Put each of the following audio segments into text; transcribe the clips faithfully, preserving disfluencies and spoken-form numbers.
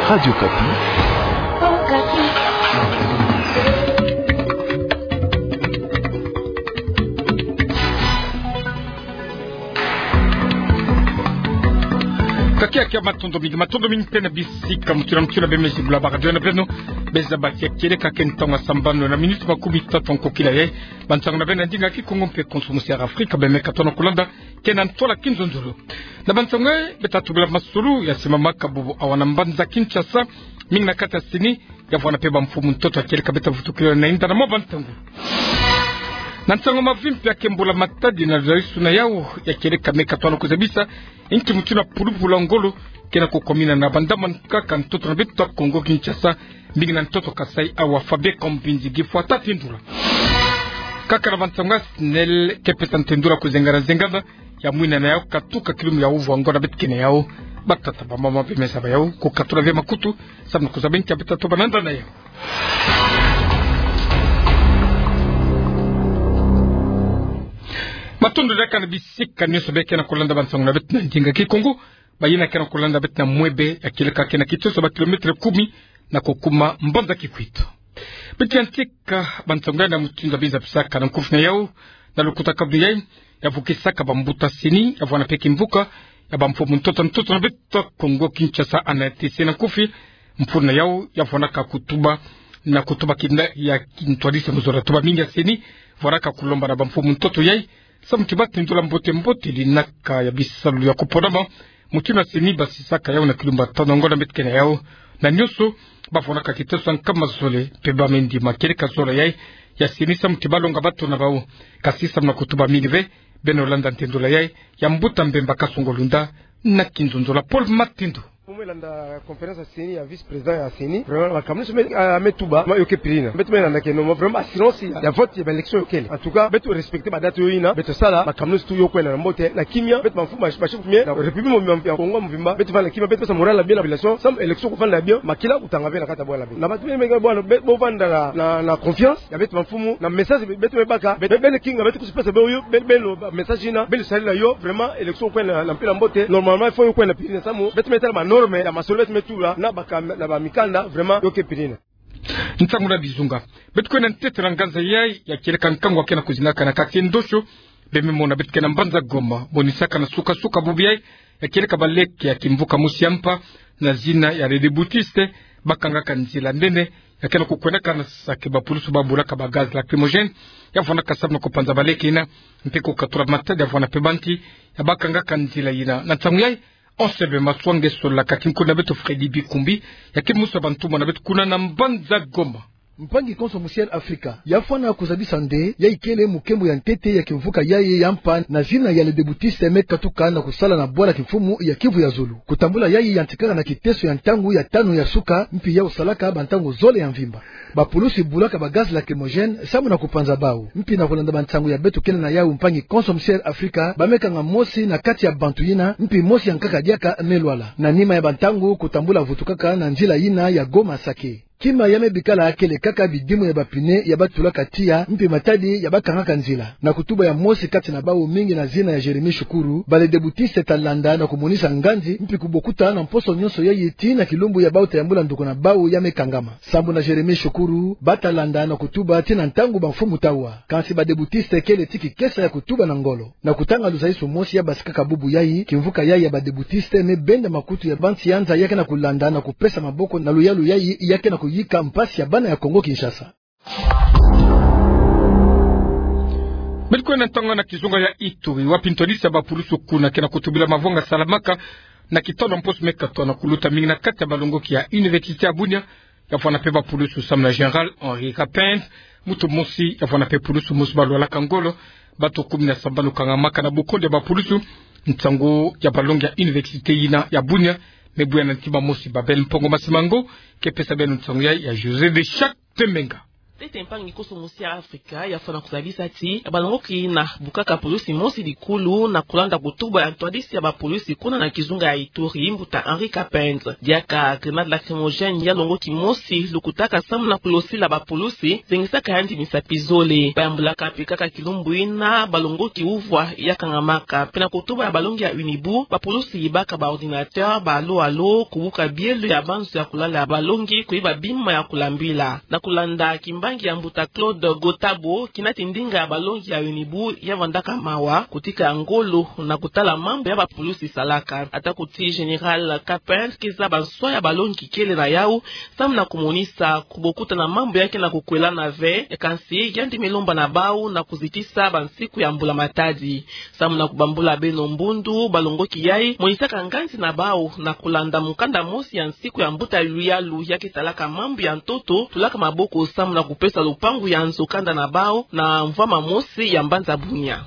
Radio Okapi. Kakia kia, matondo mingi, matondo mingi mpe na bisika mutu na mutu bemezi bula ba radio na beno. Beza bati ya kieleka, ke ntangu sambanu na miniti makumi tatu nkokila ye. Bansangu na beno na ndinga Kikongo mpe Konso Musi ya Afrika, bemeka tona kulanda, ke na ntwala kinzonzolo. Na bansangu, beto tubila masolo ya simamaka bubu awa na mbanza Kinshasa, mingi na kati ya CENI, ya vwanda mpe bamfumu ntoto ya kieleka beto vutukila na inda na mwa bantangu. Na nsangu mavimpi ya ke mbula matadi na luzalisu na yau ya kieleka meka tona kuzabisa, inki mutu na pulupulu ya ngolo ke na kukomina na bandamana kaka ntoto na beto Kongo Kinshasa, mingi na ntoto Kasaï awa. Fabien Kambinzi Gifwa ta tindula. Kaka na bansangu, SNEL ke pesa ntendula kuzengana zengana ya mwina na yau katuka kilumbu ya uvu wa ngo na beto ke na yau. Batata, bamama mpe meza ba yau, kukatula ve makutu, samu na kuzaba nki ya beto tobana nda na yau. Matondo diaka na bisika nyonso be ke na kulanda bansangu na beto na ndinga Kikongo. Bayina ke na kulanda beto na mwebe ya kieleka ke na kitoso ba kilometre kumi na kukuma mbanza Kikwit. Beto yantika bansangu na mutindu biza pisaka na nkufi na yau, na lukuta kabri yai, ya vukisaka bambuta CENI, ya vwanda mpe kimvuka ya bamfumu ntoto ntoto na beto Kongo Kinshasa, ANATC na nkufi, mfunu na yau ya vwandaka kutuba, na kutuba kina ya kintwadisi mu zola. Tuba mingi ya CENI vwandaka kulomba na bamfumu ntoto yai, samu ti batindula mbote mbote linaka ya bisalu ya kuponama. Mutindu CENI basisaka yau na kilumbu ya tanu ya ngo na beto ke na yau. Na nyonso, bavwandaka kitoso ya nkama zole, mpe bamendima kieleka zola yai ya CENI samu ti balonga bato na bau. Kasi samu na kutuba mingi ve, beno landa ntendula yai ya mbuta Mbemba Kasongo Lunda na kinzonzolo. Paul Matindu. Mbo me landa conférence ya CENI ya vice-président ya CENI. Vraiment, makambu nyonso me, ah, me tuba, ma yo ke piri yina. Beto me landa ke no, vraiment, assurance ya, ya vote ya ba élection yo kele. En tout cas, beto respecter ba date yo yina, beto sala makambu nyonso tout yo kwenda na mbote, na kimia. Beto bamfumu, ba, ba chef coutumier na République mobimba ya Kongo mvimba, beto vanda na kimia, beto pesa morale ya bien na population, samu élection kuvanda ya bien, makila kutanga ve na kati ya bwala ya beto. Na bato beno me bwala, be, bovanda na, na, na confiance ya beto bamfumu, na message be, beto me baka, be, be, beno kinga, beto kusi pesa beno yo, be, beno ba message yina, beno sarila yo, vraiment, élection kwenda na mpila mbote. Normalement, il faut yo kwenda piri yina samu beto me tala ba norme ya masolo beto me tula na baka, na bamikanda, vraiment, yo ke piri yina. Ntangu na bizunga. Beto kwenda ntete na nganza yai ya kieleka nkangu ke na kuzingaka na quartier Ndosho, be me mona beto ke na mbanza Goma, monisaka na suka-suka bubu yai ya kieleka baleke ya kimvuka mosi ya mpa na zina ya Les Déboutistes, bakangaka nzila nene ya ke na kukwendaka na Sake, bapulusu babulaka ba gaz lacrymogène ya vwandaka samu na kupanza baleke yina, mpe kukatula matadi ya vwanda mpe bantu ya bakangaka nzila yina. Na ntangu yai, Anselme Maswa nge solaka, kinkulu na beto Freddy Bikumbi, ya ke mosi ya bantumwa na beto kuna na mbanza Goma. Mpangi Konso Musi ya Afrika, ya fwana kuzabisa nde yai kele mukembo ya ntete ya kimvuka yai ya mpa na zina ya Les Déboutistes me katuka na kusala na bwala kimfumu ya Kivu ya zulu. Kutambula yai yantikaka na kiteso ya ntangu ya tanu ya suka, mpi yau salaka bantangu zole ya mvimba. Bapulusu bulaka ba gaz lacrymogène samu na kupanza bau. Mpi na kulanda bansangu ya beto kele na yau, mpangi Konso Musi ya Afrika, ba me kanga mosi na kati ya bantu yina, mpi mosi ya nkaka diaka me lwala. Na nima ya bantangu, kutambula vutukaka na nzila yina ya Goma Sake. Kima ya me bikala kele kaka bidimu ya ba pneu ya batulaka tiya, mpi matadi ya bakangaka nzila. Na kutuba ya mosi kati na bau, mingi na zina ya Jérémie Shukuru, ba Les Déboutistes ta landa na kumonisa nganzi, mpi kubokuta na mposo nyonso yai tii na kilumbu ya bau ta yambula nduku na bau ya me kangama. Sambu na Jérémie Shukuru, ba ta landa na kutuba tii na ntangu bamfumu ta wa. Kansi ba Déboutistes kele tii kikesa ya kutuba na ngolo. Na kutanga luzaisu mosi ya basikaka bubu yai, kimvuka yai ya ba Déboutistes me benda makutu ya bansianza ya ke na kulanda na kupesa maboko na luyalu yai ya ke na kuyika mpasi ya bana ya Kongo Kinshasa. Beto kwenda ntangu na kizunga ya Ituri, wapi ntwadisi ya bapulusu kuna ke na kutubila mavwanga salamaka na kitono mposo me katono kuluta, mingi na kati ya balongoki ya Université ya Bunia, ya fwana mpe bapulusu samu na Général Henri Rapin, muntu mosi, ya fwana mpe pulusu mosi balwalaka ngolo, bato kumi na sambanu kangamaka na bukondi ya bapulusu, ntangu ya balongi ya université yina ya Bunia me buya na ntima mosi. Babel Mpongo Masimango ke pesa beno nsangu yai ya José de Chaque Temenga. Ntete mpangi konso mosi ya Afrika yafwana kozabisa ti balongoki na bukaka pulusi mosi likulu na kolanda kutuba ya ntwadisi ya bapulusi kuna na kizunga ya Ituri, mbuta Henri Capenz. Diaka grenade lacrymogène ya longoki mosi lukutaka samu na kulosila bapulusi, zengisaka yandi misapi zole. Bayambulaka mpe kaka kilumbu yina balongoki uvwa ya kangamaka. Mpe na kutuba ya balongi ya UNIBU, bapulusi yibaka ba ordinateur, ba alo-alo, kubuka bielo ya banzo ya kulala ya balongi, kuyiba bima ya kulambila. Na kulanda kimbangi ya mbuta Claude Gotabo, kina ti ndinga ya balongi ya UNIBU yavandaka mawa, kutika ngolo na kutala mambu ya bapulusi salaka. Ata kuti Général Capenz keza banswa ya balongi kele na yau, samu na kumonisa kubokuta na mambu ya ke na kukwelana ve, kansi yandi me lomba na bau na kuzitisa bansiku ya Mbula Matadi. Samu na kubambula beno mbundu, balongoki yai monisaka nganzi na bau na kulanda mukanda mosi ya nsiku ya mbuta ya luyalu ya ke talaka mambu ya ntoto, tulaka maboko samu na kupesa lupangu ya nzo kanda na bau na mvwama mosi ya mbanza Bunia.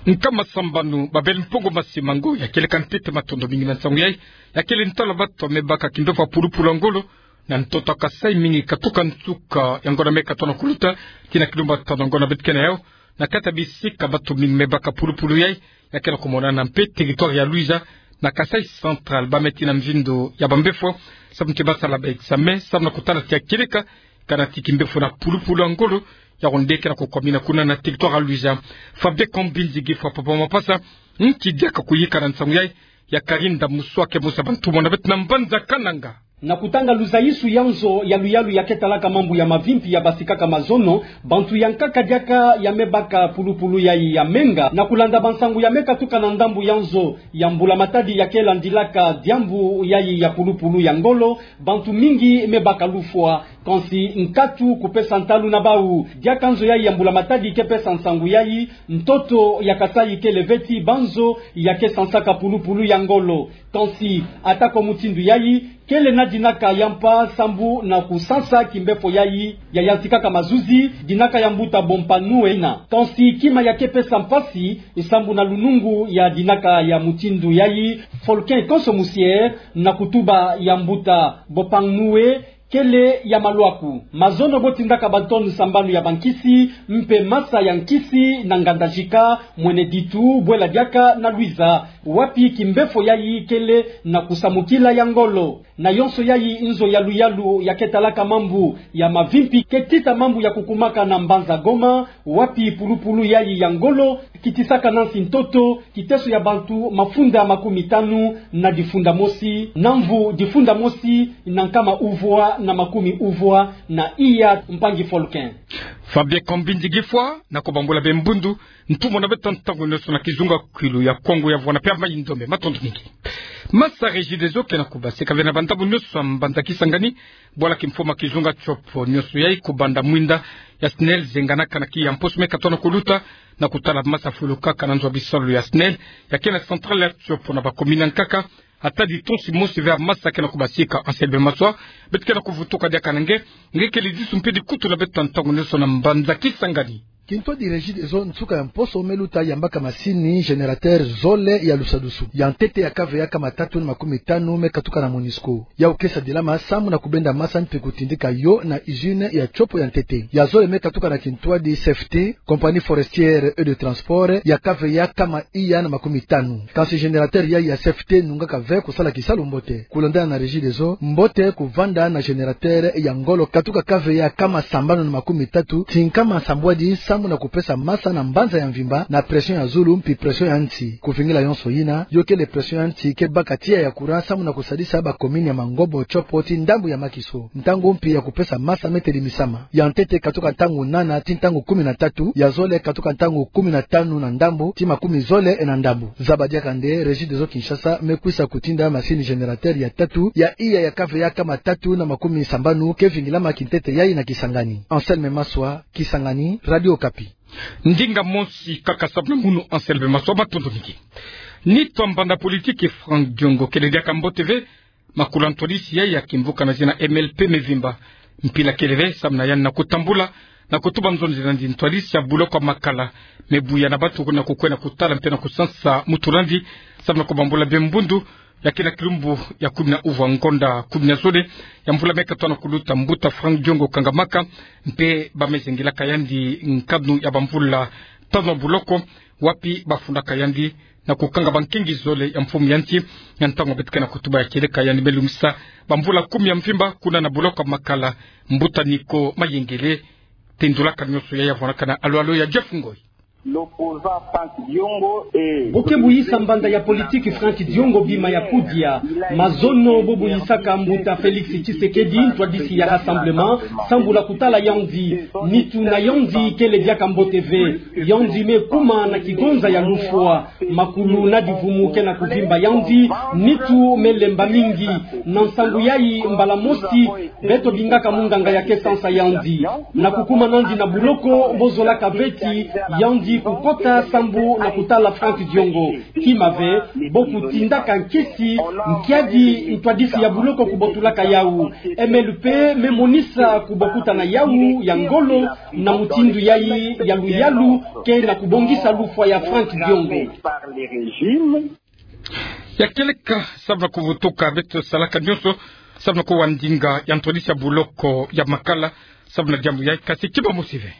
Nkama sambanu, Babel Mpongo Masimango, ya kieleka ntete. Matondo mingi na nsangu yai, ya kele ntwala bato me baka kimbefo ya pulupulu ya ngolo na ntoto ya Kasai, mingi katuka nsuka ya ngonda me katona kuluta tii na kilumbu tano ya ngonda beto ke na yau. Na kati ya bisika bato mingi me baka pulupulu yai, ya ke na kumonana mpe territoire ya Luiza na Kasai Central, ba me tii na mvindo ya bambefo samu ke basala ba examen, samu na kutala ti ya kieleka kana ti kimbefo na pulupulu ya ngolo ya ronde ke na kukwamina kuna na territoire ya Luiza. Fabien Kambinzi Gifwa, papa Mapasa, nki diaka kuyika na nsangu yai, ya Karinda Muswake, mosi ya bantumona beto na mbanza Kananga. Na kutanga luzayisu ya nzo ya luyalu ya ke talaka mambu ya mavimpi ya basikaka mazono, bantu ya nkaka diaka ya me baka pulupulu yai ya menga, na kulanda bansangu ya me katuka na ndambu ya nzo ya Mbula Matadi ya ke landilaka diambu yai ya pulupulu ya ngolo, bantu mingi me baka lufwa. Kansi nkatu kupesa ntalu na bau. Diaka nzo yai ya Mbula Matadi ke pesa nsangu yai, ntoto ya Kasai kele ve ti banzo ya ke sansaka pulupulu ya ngolo. Kansi, ata kwa mutindu yai, kele na dinaka ya mpa sambu na kusansa kimbefo yai ya yantikaka mazuzi, dinaka ya mbuta Bompa Nue ina. Kansi kima ya ke pesa mpasi, sambu na lunungu ya dinaka ya mutindu yai, Folkin Konso Musier, na kutuba ya mbuta Bopang Nue, kele ya malwaku. Mazono bo tindaka ba tonne sambanu ya bankisi, mpe masa ya nkisi na Ngandajika, Mwene Ditu, Bwela Diaka na Luiza, wapi kimbefo yai kele na kusamukila ya ngolo. Na yonso yai, nzo ya luyalu ya ke talaka mambu ya mavimpi ke tita mambu ya kukumaka na mbanza Goma, wapi pulupulu yai ya ngolo kitisaka nansi ntoto, kiteso ya bantu mafunda makumi tanu na difunda mosi, na mvu difunda mosi na nkama uvwa na makumi uvwa na iya. Mpangi Folkin. Fabien Kambinzi Gifwa, na kubambula beno mbundu, ntumona beto ntangu nionso na kizunga kwilu ya Kongo ya Vwana mpe ya Mai-Ndombe. Matondo mingi. Masa Regideso ke na kubasika ve na bantabu nionso ya mbanza Kisangani, bwala kimfoma kizunga Tshopo nionso yai, kubanda mwinda ya SNEL zenganaka na kiyi ya mposo me katona kuluta, na kutala masa fulukaka na nzo ya bisalu ya SNEL ya ke na centrale ya Tshopo na ba commune ya nkaka. Ata ditonsi mosi ve ya masa ke na kubasika. Anselme Maswa, beto ke na kuvutuka diaka na nge, nge kele disu mpe dikutu na beto ntangu nionso na mbanza Kisangani. Kintwadi Regideso, nsuka ya mposo me luta, yambaka masini générateur zole ya lusadusu. Ya ntete ya kave ya nkama tatu na makumi tanu me katuka na Monisco. Yau ke sadilama samu na kubenda masa mpe kutindika yo na usine ya Tshopo ya ntete. Ya zole me katuka na kintwadi Safety, Compagnie Forestière et de Transport, ya kave ya nkama iya na makumi tanu. Kansi générateur yai ya Safety nungaka ve kusala kisalu mbote. Kulandana na Regideso, mbote kuvanda na générateur ya ngolo katuka kave ya nkama sambanu na makumi tatu tii nkama sambwadi samu na kupesa masa na mbanza ya mvimba na pression ya zulu mpi pression ya nsi. Kuvingila yonso yina, yo kele pression ya nsi ke baka tiya ya courant samu na kusadisa ba commune ya Mangobo, Tshopo tii ndambu ya Makiso. Ntangu mpi ya kupesa masa me telimisama. Ya ntete katuka ntangu nana tii ntangu kumi na tatu, ya zole katuka ntangu kumi na tanu na ndambu tii makumi zole na ndambu. Zaba diaka nde, Regideso Kinshasa me kwisa kutinda masini générateur ya tatu ya iya ya kave ya nkama tatu na makumi sambanu ke vingilama kintete yai na Kisangani. Anselme Maswa, Kisangani, Radio Okapi. Ndinga mosi kaka samu na munu Anselme Maswa, matondo mingi. Nitu ya mbanda politiki Franck Diongo kele diaka mbote ve makula ntwadisi yai ya kimvuka na zina M L P me vimba. Mpila kele ve samu na yandi na kutambula na kutuba nzonzi na nzi ntwadisi ya buloko ya makala me buya na bantu na kukwenda kutala mpe na kusansa mutu na nzi samu na kubambula beno mbundu. Ya kele kilumbu ya kumi na uvwa ngonda kumi na zole ya mvula me katono kuluta, mbuta Franck Diongo kangamaka, mpe ba me zengilaka yandi nkanu ya bamvula tanu ya boloko, wapi ba fundaka yandi na kukanga bankingi zole ya mfumu ya nti, ya ntangu beto ke na kutuba ya kieleka yandi me lumisa bamvula kumi ya mvimba kuna na boloko ya Makala. Mbuta Nico Mayengele tendulaka nionso ya ya vwanakana alo alo ya Jeff Ngoy. L'opposant Franck Diongo est... Bo ke buyisa mbanda ya politiki Franck Diongo bima ya kudia. Mazono bo buyisaka mbuta Félix Tshisekedi, ntwadisi ya Rassemblement, sambula kutala yandi. Nitu na yandi kele diaka mbote ve. Yandi me kuma na kigonza ya lufwa. Makulu na divumu ke na kuvimba yandi. Nitu me lemba mingi. Na nsangu yayi, mbala mosi beto bingaka munganga ya ke sansa yandi. Na kukuma nandi na boloko, bo zolaka ve ti yandi kukota sambu na kutala Franck Diongo. Kima ve, bo kutindaka nkisi, nkiadi ntwadisi ya boloko kubotulaka yawu. M L P me monisa kubokutana yawu ya ngolo, na mutindu yayi ya luyalu ke na kubongisa lufwa ya Franck Diongo. Ya kieleka, samu na kuvutuka, beto salaka nionso samu na kuwa ndinga ya ntwadisi ya boloko ya Makala samu na diambu yayi, kasi kiba mosi ve.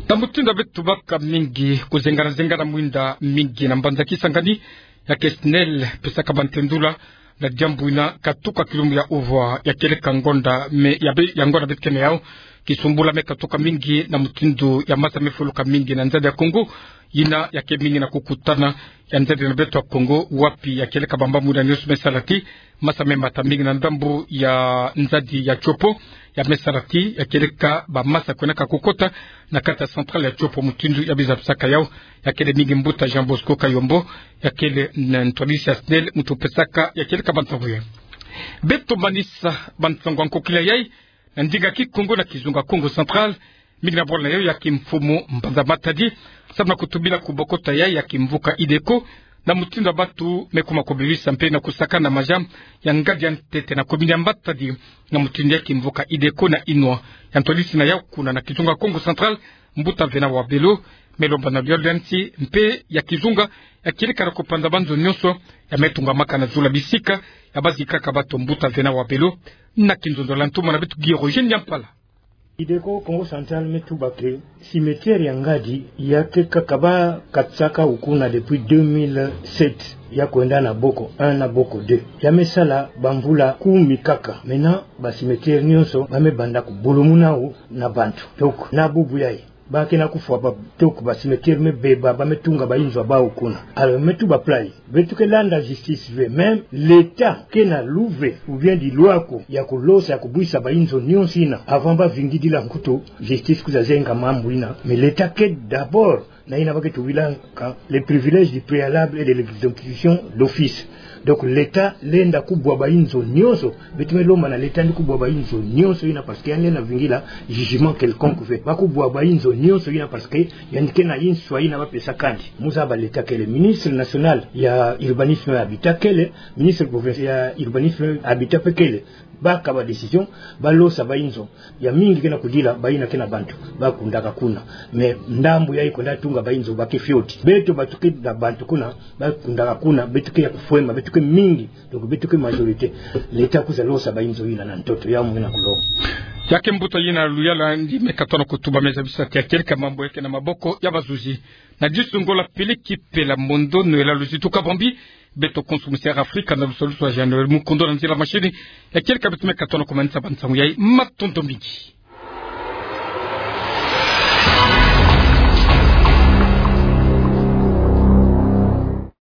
Na mutindu ya beto baka mingi kuzengana zengana mwinda mingi na mbanza Kisangani, ya ke SNEL pesaka bantendula na diambu ina katuka kilumbu ya uvwa ya kieleka ngonda me, ya be, ya ngonda beto ke na yawu. Kisumbula me katuka mingi na mutindu ya masa me fuluka mingi na nzadi ya Kongo, ina ya ke mingi na kukutana ya nzadi na beto ya Kongo, wapi ya kieleka bambambu ina nionso me sala ti masa me mata mingi na ndambu ya nzadi ya Tshopo, ya me sala ti ya kieleka bamasa kwendaka kukota na kati ya centrale ya Tshopo, mutindu ya biza bisaka yawu. Ya kele mingi mbuta Jean Bosco Kayombo, ya kele n-, ntwadisi ya SNEL, muntu pesaka ya kieleka bansangu yayi. Beto manisa bansangu ya nkokila yayi na ndinga Kikongo na kizunga Kongo Central, mingi na bwala na yawu ya kimfumu mbanza Matadi, samu na kutubila kubokota yayi ya kimvuka IDECO, na mutindu ya bantu me kuma kubibisa mpe na kusakana maja ya ngadi ya ntete na commune ya Matadi, na mutindu ya kimvuka IDECO na inwa ya ntwadisi na yawu kuna na kizunga Kongo Central, mbuta Vena Wabelo, me lomba na luyalu ya nti mpe ya kizunga ya kieleka na kupanza banzo nionso ya me tungamaka na zulu ya bisika ya bazikaka bantu. Mbuta Vena Wabelo na kinzonzolo ya ntumwa na beto Guy Roger Nyampala. IDECO Kongo Central me tuba que cimetière ya ngadi ya ke kaka ba katisaka yawu kuna depuis deux mille sept, ya kwenda na Boko un na Boko deux. Ya me sala bamvula kumi kaka. Maintenant, ba cimetière nionso ba me banda kubulumuna yawu na bantu. Donc, na bubu yayi, ba ke na kufwa ba, donc ba cimetière me beba, ba me tunga bayinzo ya bawu kuna. Alors, me tuba plan yayi, beto ke landa justice ve, même l'État ke na luve ou bien dilwako ya kulosa, ya kubwisa bayinzo nionso ina, avant ba vingidila nkutu justice kwiza zenga mambu ina. Mais l'État ke d'abord na ina ba ke tubilaka le privilège du préalable et de l'exécution d'office. Donc l'État lenda kubwa bayinzo nionso. Beto me lomba na l'État yandi kubwa bayinzo nionso ina, parce que yandi lenda vingila jugement quelconque ve. Ba kubwa bayinzo nionso ina parce que yandi ke na inswa ina ba pesaka yandi. Mu zaba l'État kele, ministre national ya urbanisme et habitat kele, ministre provincial ya urbanisme et habitat mpe kele. Ba kaba décision, ba losa bayinzo. Ya mingi ke na kudila, bayina ke na bantu ba kundaka kuna. Mais ndambu yayi kwenda tunga bayinzo ba ke fioti. Beto bantu ke na bantu kuna, ba kundaka kuna, beto ke ya kufwema, beto ke mingi, donc beto ke majorité. L'État kwiza losa bayinzo yina na ntoto, ya mwina kulo. Ya ke mbuta yina luyalu ya ndi me katono kutuba, me zabisa ti ya kieleka mambu ya ke na maboko ya bazuzi. Na disunga la peleki pela mondo no ela luzitu kabambi, beto konso mu Sierra Africa na lusalusu ya Jean Noël Mukondo na nzila machine. Ya kieleka beto me katono kumanisa bansangu yayi, matondo mingi.